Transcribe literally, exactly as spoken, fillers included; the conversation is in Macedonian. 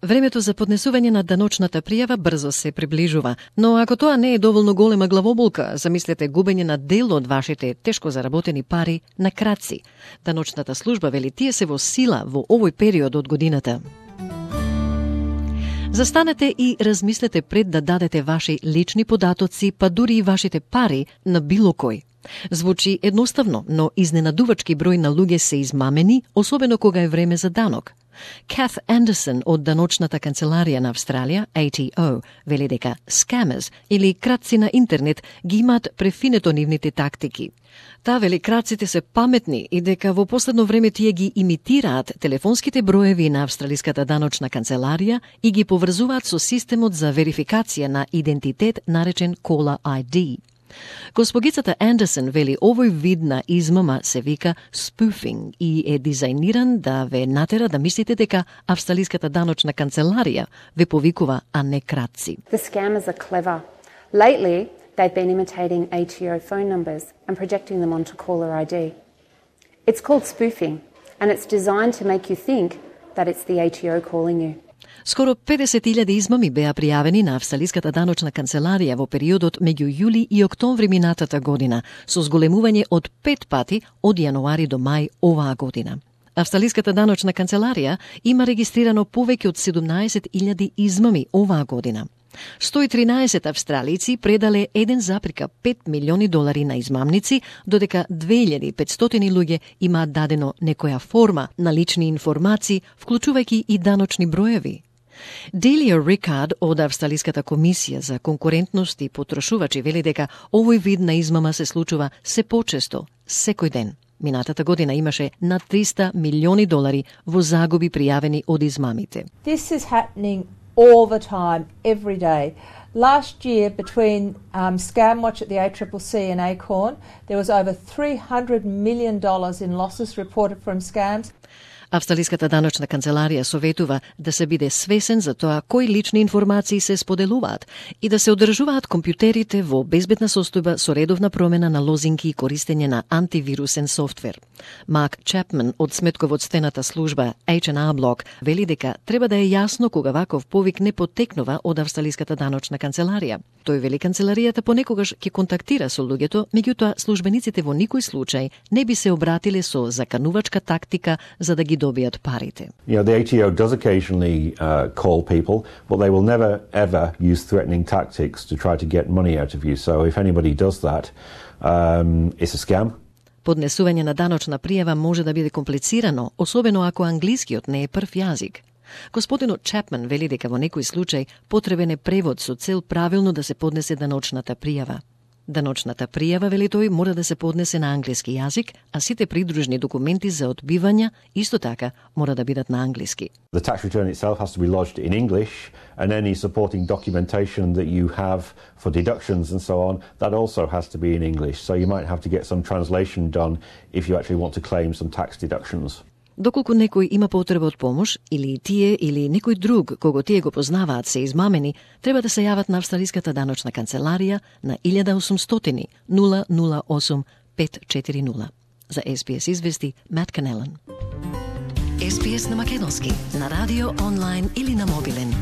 Времето за поднесување на даночната пријава брзо се приближува, но ако тоа не е доволно голема главоболка, замислете губење на дел од вашите тешко заработени пари на краци. Даночната служба вели тие се во сила во овој период од годината. Застанете и размислете пред да дадете ваши лични податоци, па дури и вашите пари на било кој. Звучи едноставно, но изненадувачки број на луѓе се измамени, особено кога е време за данок. Kath Anderson од даночната канцеларија на Австралија, A T O, вели дека scammers или крадци на интернет ги имаат префинето нивните тактики. Таа вели крадците се паметни и дека во последно време тие ги имитираат телефонските броеви на австралиската даночна канцеларија и ги поврзуваат со системот за верификација на идентитет наречен Caller I D. Госпогицата Андерсон вели овој вид на измама се вика spoofing и е дизајниран да ве натера да мислите дека австралиската даночна канцеларија ве повикува, а не крадци. The scammers are clever. Lately, they've been imitating A T O phone numbers and projecting them onto Caller I D. It's called spoofing, and it's designed to make you think that it's the A T O calling you. Скоро педесет илјади измами беа пријавени на австралиската даночна канцеларија во периодот меѓу јули и октомври минатата година, со зголемување од пет пати од јануари до мај оваа година. Австралиската даночна канцеларија има регистрирано повеќе од седумнаесет илјади измами оваа година. сто и тринаесет австралици предале еден запирка пет милиони долари на измамници, додека две илјади и петстотини луѓе имаат дадено некоја форма на лични информации, вклучувајќи и даночни броеви. Делија Рикард од Австралиската комисија за конкурентност и потрошувачи вели дека овој вид на измама се случува се почесто, секој ден. Минатата година имаше над триста милиони долари во загуби пријавени од измамите. This is happening all the time, every day. Last year, between um, ScamWatch at the A C C C and Acorn, there was over three hundred million dollars in losses reported from scams. Австралиската даночна канцеларија советува да се биде свесен за тоа кои лични информации се споделуваат и да се одржуваат компјутерите во безбедна состојба со редовна промена на лозинки и користење на антивирусен софтвер. Марк Чапман од сметководствената служба H and R Block вели дека треба да е јасно кога ваков повик не потекнува од австралиската даночна канцеларија. Тој вели канцеларијата понекогаш ќе контактира со луѓето, меѓутоа службениците во никој случај не би се обратиле со заканувачка тактика за да ги добијат парите. You know, the A T O does occasionally uh, call people, but they will never ever use threatening tactics to try to get money out of you. So if anybody does that, um, it's a scam. Поднесување на даночна пријава може да биде комплицирано, особено ако англискиот не е прв јазик. Господинот Чапман вели дека во некој случај потребен е превод со цел правилно да се поднесе даночната пријава. Даночната пријава, вели тој, мора да се поднесе на англиски јазик, а сите придружни документи за одбивања исто така мора да бидат на англиски. The tax return itself has to be lodged in English, and any supporting documentation that you have for deductions and so on, that also has to be in English. So you might have to get some translation done if you actually want to claim some tax deductions. Доколку некој има потреба од помош, или тие или некој друг кого тие го познаваат се измамени, треба да се јават на Австралиската даночна канцеларија на илјада осумстотини нула нула осум пет четири нула. За С Б С извести Мат Канелан. С Б С на македонски, на радио, онлайн или на мобилен.